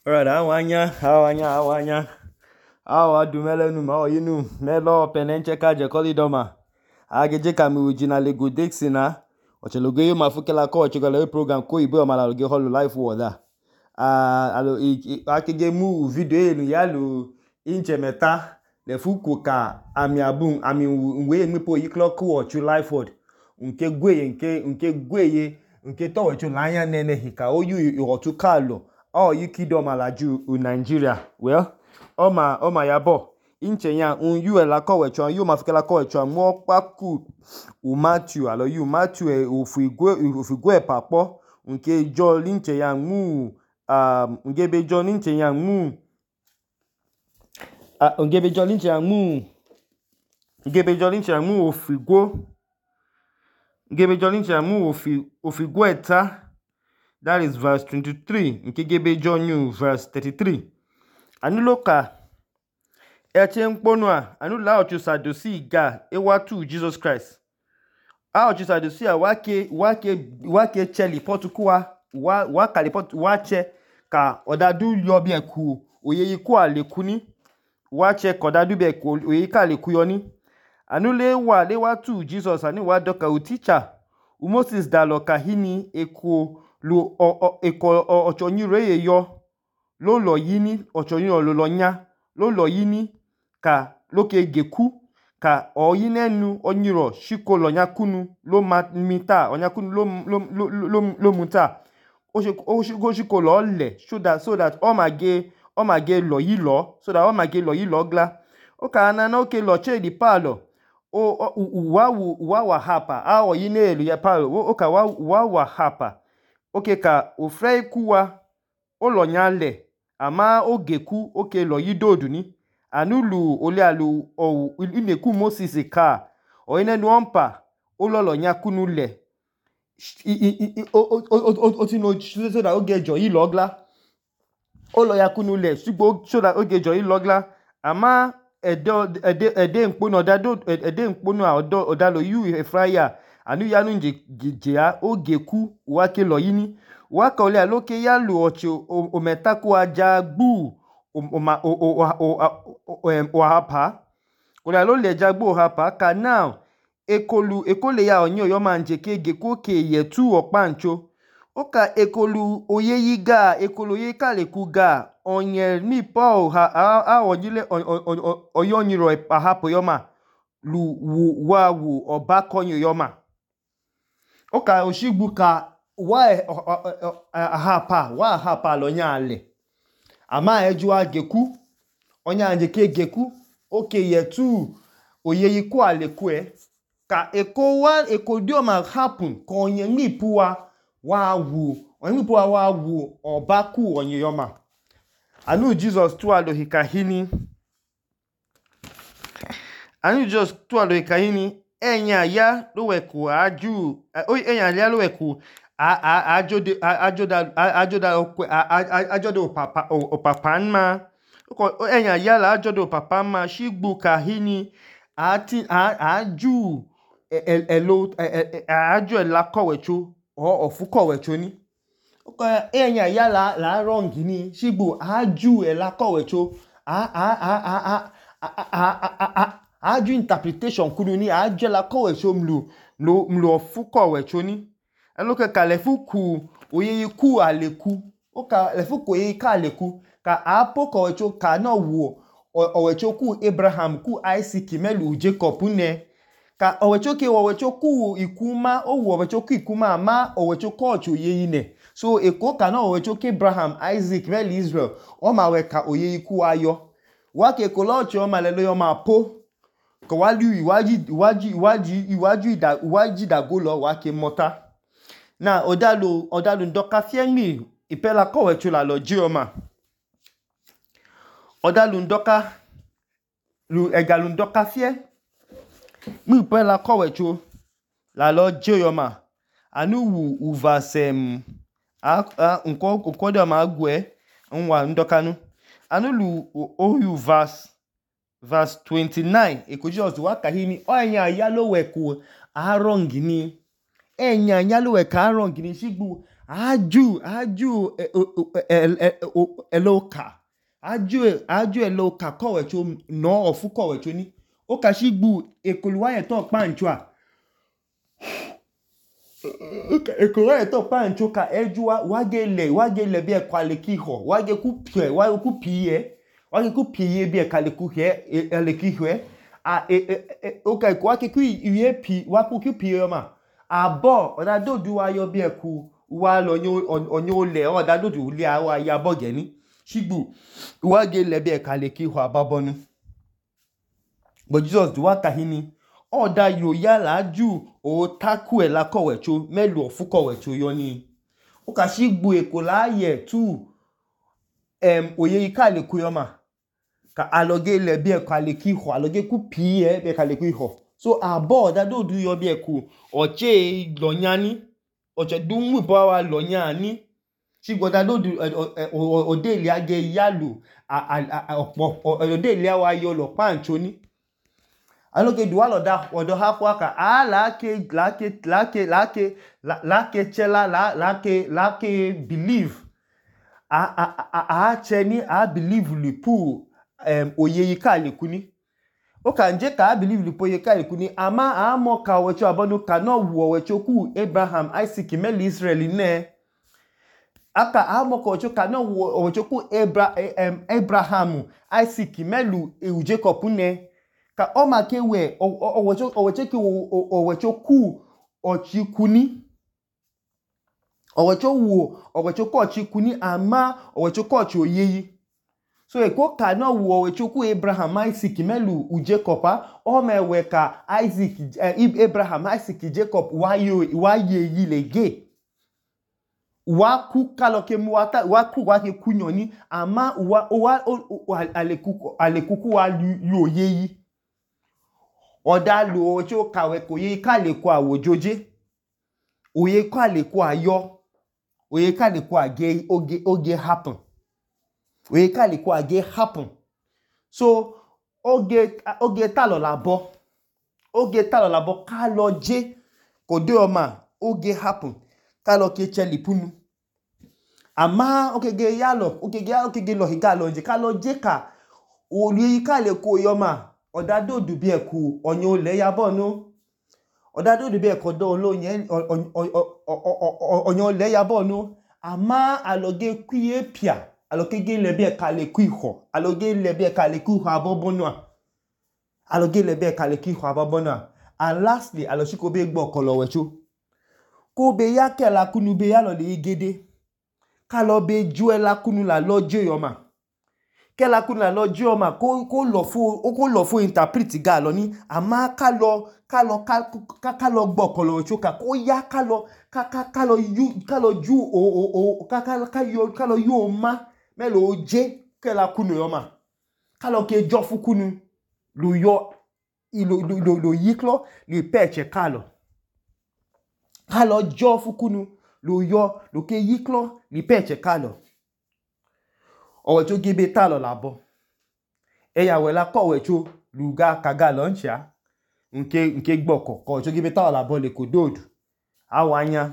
Alright, awanya. Awa du melenu ma oyinu melo penenche ka je kolidoma. Ageje kami original Lego Dixina. Ocheloge yo mafukela ko ochegala program ko ibe o mala loge holo life water. Akege mu video enu yalu inche meta le fuku ka ami abun ami we mipo yiklo ko ochu life word. Nke gweye nke to ochu lanya nene hika oyu otu kalo. Yi kidoma laju Nigeria. Well, oma yabo. Inche ya yu la ko wecho yu mafukela ko wecho mo paku u Matthew alo yu Matthew ofigwe papo nke jo linche ya mu ngebe jo linche ya mu ngebe jo linche ya mu ofigwe eta. That is verse 23. Nkegebe John New verse 33. Anuloka eche mkponua anula ochu sadusi ga ewatu Jesus Christ. Ochu sadusi wake cheli potukuwa wakali potu wache ka odadu yobi eku oyeyi ku alekuni wache kodadu be eku oyeyi ka aleku yoni. Anule lewatu Jesus ani wa doka uticha Moses dalo kahini eku lu ochonyire yeyo lo lo yini ochonyiro lo nya lo lo yini ka loke geku ka oyinenu onyiro shiko lo nyakunu lo mita onyakunu lo muta oshiko lo le so that o mage lo yilo so that o mage lo yilo gla oka anana oke lo che di palo wa hapa oyine elu ya palo oka wa hapa. Oke ka ofre kuwa olonya le ama ogeku oke lo yidodu ni anulu ole alu ineku Moses ka oyine nuompa ololo nya kunu le otino so da ogejo yi logla olo ya kunu le sugbo so da ogejo yi logla ama ede nkpono odalo yu efraya anu yanu njejea ogeku wake lo yini waka ole aloke yalu ocho ometaku ajagbu ohapa ole alole jagbu ohapa ka now ekole ya onyo yo manje ke geku ke yetu opancho oka ekolu oyeyiga ekolu oyeka lekuga onye ni po onyile oyonyiro ahapa yoma lu wawu obakonyo yoma. Oka oshigbu ka ahapa lo nya ale ama eju ageku onya anje ke geku oke yetu oyeyi ku aleku ka eko dioma happen ko onye nipuwa wa wu obaku onye yoma anu Jesus tu alo hikahini enya ya loweku ajoda opapanma enya ya la ajoda opapanma shigbu kahini aju elakowecho ofukowecho ni enya ya la wrong ni shigbu aju elakowecho aju interpretation kunu ni aju elakowecho mlu ofukowecho ni eloke ka lefuku oyeyi ku aleku oka lefuku oyeyi ka aleku ka apokowecho ka no wo owecho ku Abraham ku Isaac melu Jacob ne ka owecho ku ikuma owecho ku ikuma ama owecho ku ocho oyeyi ne so eko ka no owecho ku Abraham Isaac melu Israel o ma we ka oyeyi ku ayo wake kolocho o ma lelo yo ma po ko wali iwaji dagolo wake mota na odalu ndoka fiemi ipela kowecho la lo jioma odalu ndoka egalu ndoka fie mu ipela kowecho la lo jioma anu uvasem nko de ma agwe nwa ndokanu anu lu oyu verse 29 ekojos wakahini enya yalo weku arongini enya yalo weku arongini shigbu aju eloka aju eloka kọwẹcho no ọfu kọwẹcho ni okashigbu ekoluwa yeto kpancho ekoluwa yeto kpancho ka ejuwa wage le bi ekwalekiho wage ku piye bi ekwalekiho oka wake ku iye pi waku ku piye yoma abo odadodu wa yo bi eku wa lo onyo le odadodu uli wa ya boge ni shigbu wage le bi ekwalekiho ababonu but Jesus duwa kahini oda yo ya la aju o taku ela kọwẹcho melu ọfu kọwẹcho yo ni okashigbu ekola ye tu oye ikaleku yoma ka aloge le bi ekwalekiho aloge ku piye bi ekwalekiho so abo odadodu yo bi eku oche lonyani oche dumu ipo wa lonyani shigbu odadodu odeli age yalu odeli wa yo lo kpancho ni aloge duwa odo hafwa ka lake chela lake believe cheni believe lipu oye ikaleku ni oka nje ka believe lipu oye ikaleku ni ama amo ka owecho abonu ka no wu owecho ku Abraham Isaac meli Israel ne aka amo ka owecho ka no wu owecho ku Abraham Isaac melu Jacob ne ka oma ke we owecho ku ochikuni owecho ku ochikuni ama owecho ku ochi oyeyi so eko ka no wu owecho ku Abraham Isaac melu Jacob oma we ka Abraham Isaac Jacob wa yeyi lege wa ku kaloke mu wa ke kunyo ni ama alekuku wa yo yeyi oda lo owecho kawe ko ye ikaleku awojoje oye ikaleku ayo oye ikaleku age oge happen oye ikaleku age happen so oge talo labo ka lo je kode oma oge happen ka lo ke chelipunu ama okege yalo okege lo higalo nje ka lo je ka oye ikaleku yoma odadodu bi eku onyo le yabonu odadodu bi eku do olonye onyo le yabonu ama aloge kuye pia aloge le bi ekaleku iho aloge le bi ekaleku iho abobonu aloge le bi ekaleku iho abobonu and lastly aloshiko be gbo kolowecho ko be ya kela kunu be ya lo le igede ka lo be ju ela kunu la lojo yoma kela kunu la lojo yoma ko lo fu interpret ga lo ni ama ka lo gbo kolowecho ka ko ya ka lo yu ma melo oje kela kunu yoma ka lo ke jo fu kunu lo yo lo yiklo li peche ka lo jo fu kunu lo yo lo ke yiklo li peche ka lo owecho gibe talo labo eya wela kowecho luga kaga loncha nke gboko kowecho gibe talo labo le kododu awanya